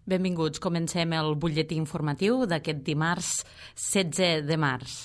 Benvinguts. Comencem el butlletí informatiu d'aquest dimarts 16 de març.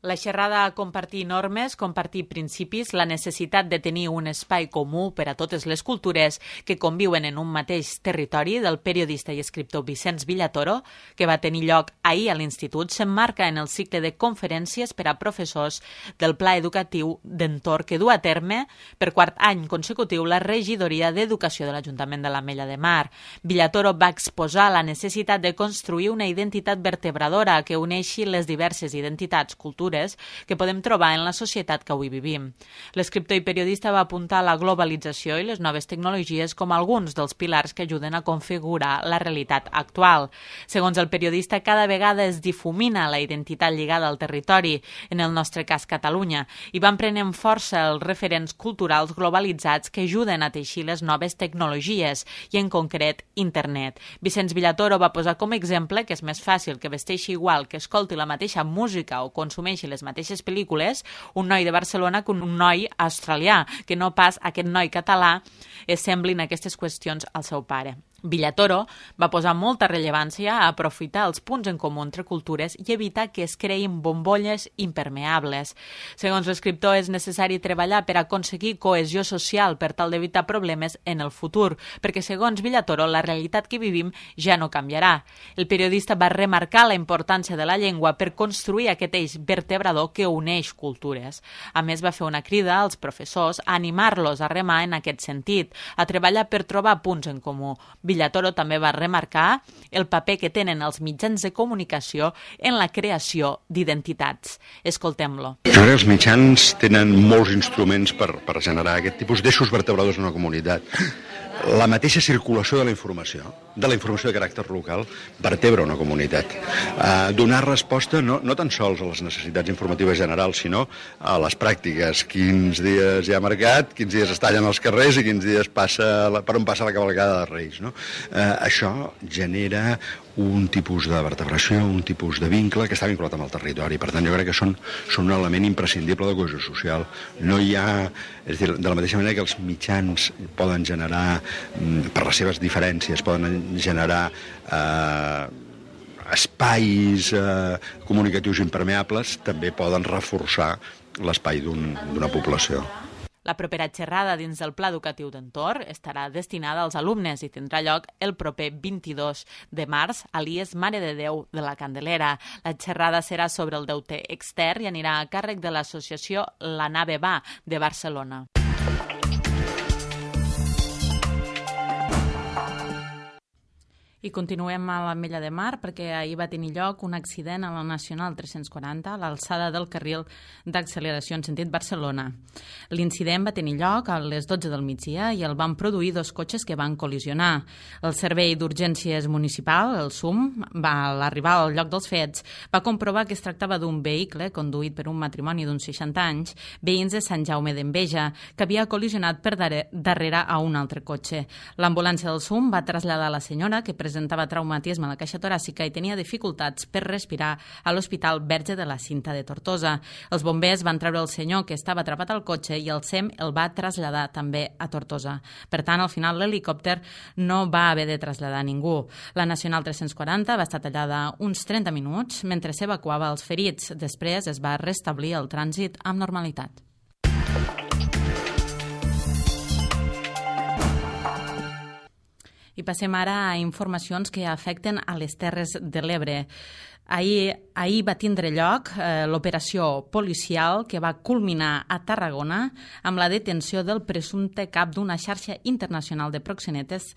La xerrada Compartir normes, compartir principis, la necessitat de tenir un espai comú per a totes les cultures que conviuen en un mateix territori del periodista i escriptor Vicenç Villatoro, que va tenir lloc ahir a l'Institut, s'emmarca en el cicle de conferències per a professors del Pla Educatiu d'Entorn que du a terme per quart any consecutiu la regidoria d'Educació de l'Ajuntament de l'Ametlla de Mar. Villatoro va exposar la necessitat de construir una identitat vertebradora que uneixi les diverses identitats, cultures, que podem trobar en la societat que avui vivim. L'escriptor i periodista va apuntar la globalització i les noves tecnologies com alguns dels pilars que ajuden a configurar la realitat actual. Segons el periodista, cada vegada es difumina la identitat lligada al territori, en el nostre cas Catalunya, i van prenent força els referents culturals globalitzats que ajuden a teixir les noves tecnologies, i en concret Internet. Vicenç Villatoro va posar com a exemple que és més fàcil que vesteixi igual, que escolti la mateixa música o consumeixi les mateixes pel·lícules un noi de Barcelona que un noi australià, que no pas aquest noi català semblin aquestes qüestions al seu pare. Villatoro va posar molta rellevància a aprofitar els punts en comú entre cultures i evitar que es creïn bombolles impermeables. Segons l'escriptor, és necessari treballar per aconseguir cohesió social per tal d'evitar problemes en el futur, perquè segons Villatoro, la realitat que vivim ja no canviarà. El periodista va remarcar la importància de la llengua per construir aquest eix vertebrador que uneix cultures. A més, va fer una crida als professors a animar-los a remar en aquest sentit, a treballar per trobar punts en comú. Villatoro també va remarcar el paper que tenen els mitjans de comunicació en la creació d'identitats. Escoltem-lo. Jo crec que els mitjans tenen molts instruments per generar aquest tipus d'eixos vertebradors en una comunitat. La mateixa circulació de la informació de caràcter local, vertebra una comunitat. Donar resposta no tan sols a les necessitats informatives generals, sinó a les pràctiques. Quins dies hi ha mercat, quins dies es tallen els carrers i quins dies per on passa la cavalcada de Reis. No? Això genera un tipus de vertebració, un tipus de vincle que està vinculat amb el territori. Per tant, jo crec que són un element imprescindible de cohesió social. No hi ha... És a dir, de la mateixa manera que els mitjans poden generar, per les seves diferències, poden generar espais comunicatius impermeables, també poden reforçar l'espai d'una població. La propera xerrada dins del Pla Educatiu d'Entorn estarà destinada als alumnes i tindrà lloc el proper 22 de març a l'IES Mare de Déu de la Candelera. La xerrada serà sobre el deute extern i anirà a càrrec de l'associació La Nave Va de Barcelona. I continuem a l'Ametlla de Mar perquè ahir va tenir lloc un accident a la Nacional 340 a l'alçada del carril d'acceleració en sentit Barcelona. L'incident va tenir lloc a les 12 del migdia i el van produir dos cotxes que van col·lisionar. El Servei d'Urgències Municipal, el SUM, al arribar al lloc dels fets, va comprovar que es tractava d'un vehicle conduït per un matrimoni d'uns 60 anys, veïns de Sant Jaume d'Enveja, que havia col·lisionat per darrere a un altre cotxe. L'ambulància del SUM va traslladar la senyora, que presentava traumatisme a la caixa toràcica i tenia dificultats per respirar a l'Hospital Verge de la Cinta de Tortosa. Els bombers van treure el senyor que estava atrapat al cotxe i el SEM el va traslladar també a Tortosa. Per tant, al final l'helicòpter no va haver de traslladar ningú. La Nacional 340 va estar tallada uns 30 minuts mentre s'evacuava els ferits. Després es va restablir el trànsit amb normalitat. I passem ara a informacions que afecten a les Terres de l'Ebre. Ahir va tindre lloc l'operació policial que va culminar a Tarragona amb la detenció del presumpte cap d'una xarxa internacional de proxenetes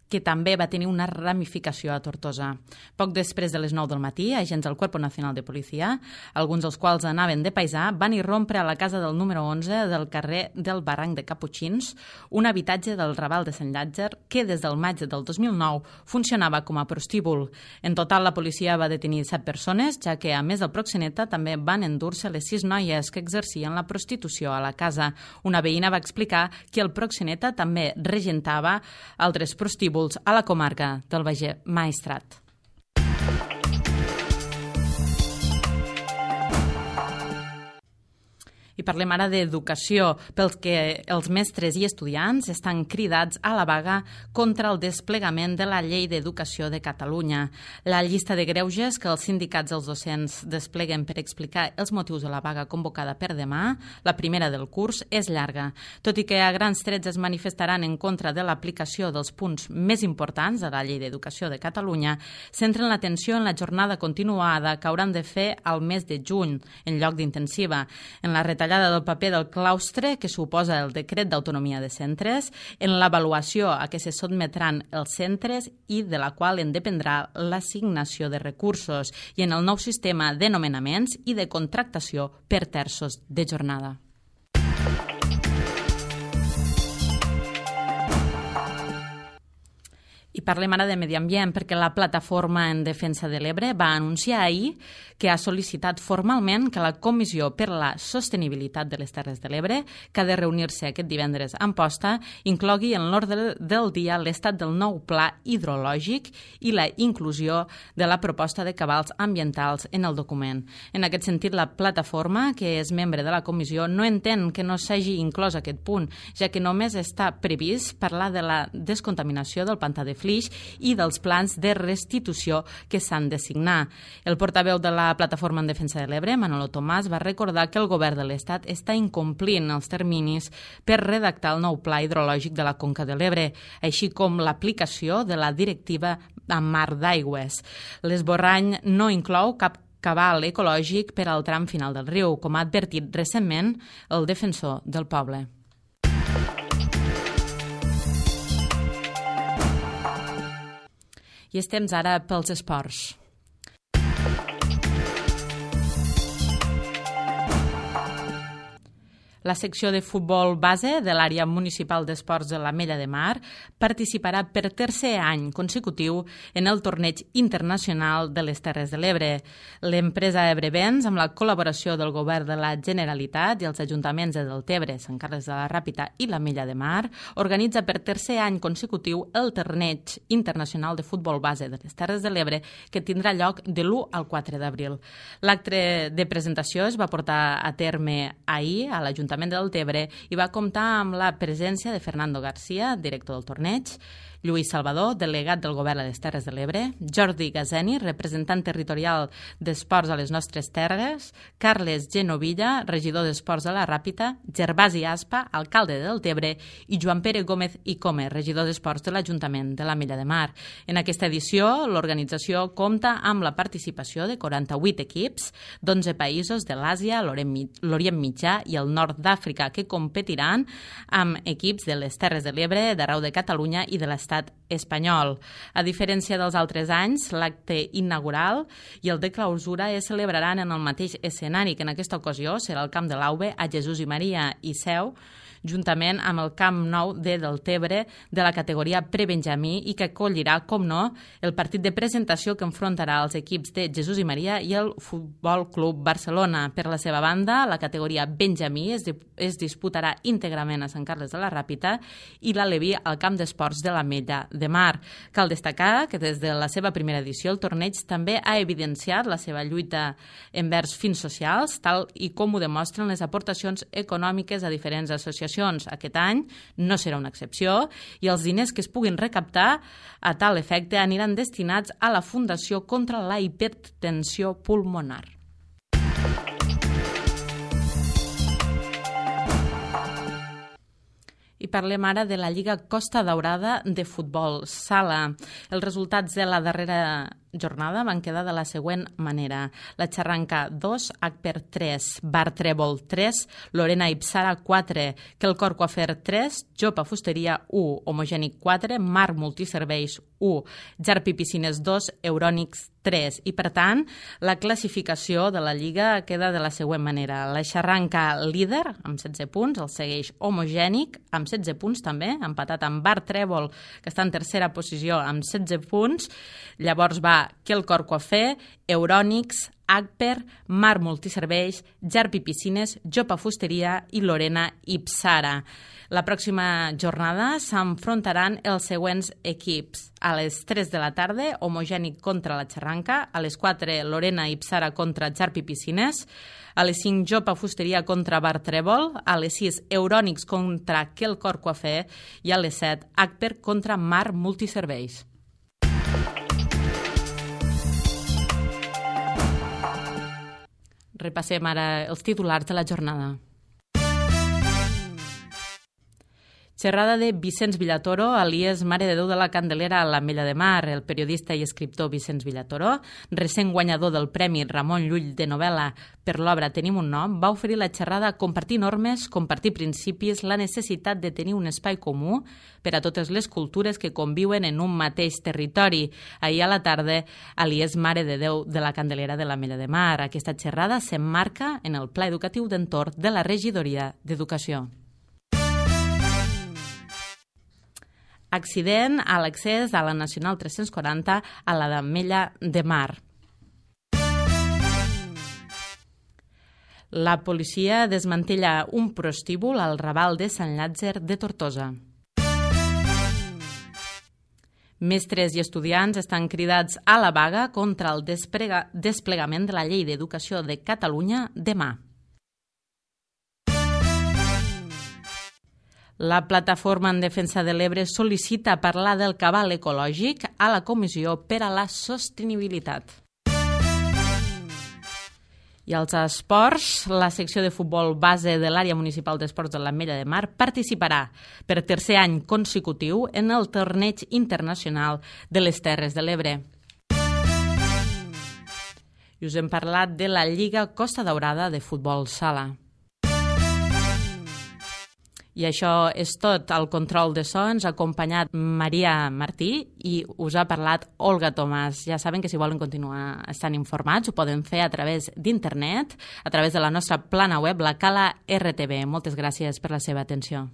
que també va tenir una ramificació a Tortosa. Poc després de les 9 del matí, agents del Cuerpo Nacional de Policia, alguns dels quals anaven de paisà, van irrompre a la casa del número 11 del carrer del Barranc de Caputxins, un habitatge del Raval de Sant Llàtzer que des del maig del 2009 funcionava com a prostíbul. En total, la policia va detenir 7 persones, ja que, a més del proxeneta, també van endur-se les 6 noies que exercien la prostitució a la casa. Una veïna va explicar que el proxeneta també regentava altres prostíbuls a la comarca del Baix Maestrat. I parlem ara d'educació, pels que els mestres i estudiants estan cridats a la vaga contra el desplegament de la Llei d'Educació de Catalunya. La llista de greuges que els sindicats dels docents despleguen per explicar els motius de la vaga convocada per demà, la primera del curs, és llarga. Tot i que a grans trets es manifestaran en contra de l'aplicació dels punts més importants de la Llei d'Educació de Catalunya, centren l'atenció en la jornada continuada que hauran de fer al mes de juny, en lloc d'intensiva, en la retallada del paper del claustre que suposa el decret d'autonomia de centres, en l'avaluació a què se sotmetran els centres i de la qual en dependrà l'assignació de recursos, i en el nou sistema de nomenaments i de contractació per terços de jornada. I parlem ara de medi ambient perquè la Plataforma en Defensa de l'Ebre va anunciar ahir que ha sol·licitat formalment que la Comissió per la Sostenibilitat de les Terres de l'Ebre, que ha de reunir-se aquest divendres a Amposta, inclogui en l'ordre del dia l'estat del nou pla hidrològic i la inclusió de la proposta de cabals ambientals en el document. En aquest sentit, la Plataforma, que és membre de la comissió, no entén que no s'hagi inclòs aquest punt, ja que només està previst parlar de la descontaminació del pantà de Flix i dels plans de restitució que s'han de signar. El portaveu de la Plataforma en Defensa de l'Ebre, Manolo Tomàs, va recordar que el govern de l'Estat està incomplint els terminis per redactar el nou pla hidrològic de la Conca de l'Ebre, així com l'aplicació de la directiva en mar d'aigües. L'esborrany no inclou cap cabal ecològic per al tram final del riu, com ha advertit recentment el defensor del poble. I és temps ara pels esports. La secció de futbol base de l'àrea municipal d'esports de l'Ametlla de Mar participarà per tercer any consecutiu en el torneig internacional de les Terres de l'Ebre. L'empresa Ebrevents, amb la col·laboració del govern de la Generalitat i els ajuntaments de Deltebre, Sant Carles de la Ràpita i l'Ametlla de Mar, organitza per tercer any consecutiu el torneig internacional de futbol base de les Terres de l'Ebre, que tindrà lloc de l'1 al 4 d'abril. L'acte de presentació es va portar a terme ahir a l'Ajuntament de Deltebre i va comptar amb la presència de Fernando García, director del torneig, Lluís Salvador, delegat del Govern a les Terres de l'Ebre, Jordi Gazeni, representant territorial d'Esports a les Nostres Terres, Carles Genovilla, regidor d'Esports de la Ràpita, Gervasi Aspa, alcalde de Deltebre, i Joan Pere Gómez i Come, regidor d'Esports de l'Ajuntament de l'Ametlla de Mar. En aquesta edició, l'organització compta amb la participació de 48 equips d'11 països de l'Àsia, l'Orient Mitjà i el nord d'Àfrica, que competiran amb equips de les Terres de l'Ebre, d'arreu de Catalunya i de l'estat espanyol. A diferència dels altres anys, l'acte inaugural i el de clausura es celebraran en el mateix escenari, que en aquesta ocasió serà el Camp de l'Auve a Jesús i Maria i Seu, juntament amb el Camp Nou de Deltebre de la categoria prebenjamí i que acollirà, com no, el partit de presentació que enfrontarà els equips de Jesús i Maria i el Futbol Club Barcelona. Per la seva banda, la categoria benjamí es disputarà íntegrament a Sant Carles de la Ràpita i l'Aleví al Camp d'Esports de l'Ametlla de Mar. Cal destacar que des de la seva primera edició el torneig també ha evidenciat la seva lluita envers fins socials, tal i com ho demostren les aportacions econòmiques a diferents associacions. Aquest any no serà una excepció i els diners que es puguin recaptar a tal efecte aniran destinats a la Fundació contra la Hipertensió Pulmonar. I parlem ara de la Lliga Costa Daurada de futbol sala. Els resultats de la darrera jornada van quedar de la següent manera. La Xarranca 2, Agper 3, Bar Trèvol 3, Lorena Ipsara 4, Quelcor Coafer 3, Jopa Fusteria 1, Homogènic 4, Mar Multiserveis 1, Jarpi Piscines 2, Eurònics 3. I, per tant, la classificació de la Lliga queda de la següent manera. La Xarranca líder, amb 16 punts, el segueix Homogènic, amb 16 punts també, empatat amb Bar Trèvol, que està en tercera posició amb 16 punts. Llavors va Quelcor Coafer, Eurònics, Agper, Mar Multiserveis, Jarpi Piscines, Jopa Fusteria i Lorena Ipsara. La pròxima jornada s'enfrontaran els següents equips. A les 3 de la tarda, Homogènic contra la Xerranca, a les 4, Lorena Ipsara contra Jarpi Piscines, a les 5, Jopa Fusteria contra Bar Trèvol, a les 6, Eurònics contra Quelcor Coafè i a les 7, Agper contra Mar Multiserveis. Repassem ara els titulars de la jornada. Xerrada de Vicenç Villatoro, alias Mare de Déu de la Candelera a l'Ametlla de Mar. El periodista i escriptor Vicenç Villatoro, recent guanyador del Premi Ramon Llull de novel·la per l'obra Tenim un nom, va oferir la xerrada Compartir normes, compartir principis, la necessitat de tenir un espai comú per a totes les cultures que conviuen en un mateix territori. Ahir a la tarda, alias Mare de Déu de la Candelera de l'Ametlla de Mar. Aquesta xerrada s'emmarca en el Pla Educatiu d'Entorn de la Regidoria d'Educació. Accident a l'accés a la Nacional 340 a la d'Ametlla de Mar. La policia desmantella un prostíbul al Raval de Sant Llàtzer de Tortosa. Mestres i estudiants estan cridats a la vaga contra el desplegament de la Llei d'Educació de Catalunya demà. La plataforma en defensa de l'Ebre sol·licita parlar del cabal ecològic a la Comissió per a la Sostenibilitat. I als esports, la secció de futbol base de l'àrea municipal d'esports de l'Ametlla de Mar participarà per tercer any consecutiu en el torneig internacional de les Terres de l'Ebre. I us hem parlat de la Lliga Costa Daurada de futbol sala. I això és tot. El control de so ens ha acompanyat Maria Martí i us ha parlat Olga Tomàs. Ja saben que si volen continuar estant informats ho poden fer a través d'internet, a través de la nostra plana web, la Cala RTV. Moltes gràcies per la seva atenció.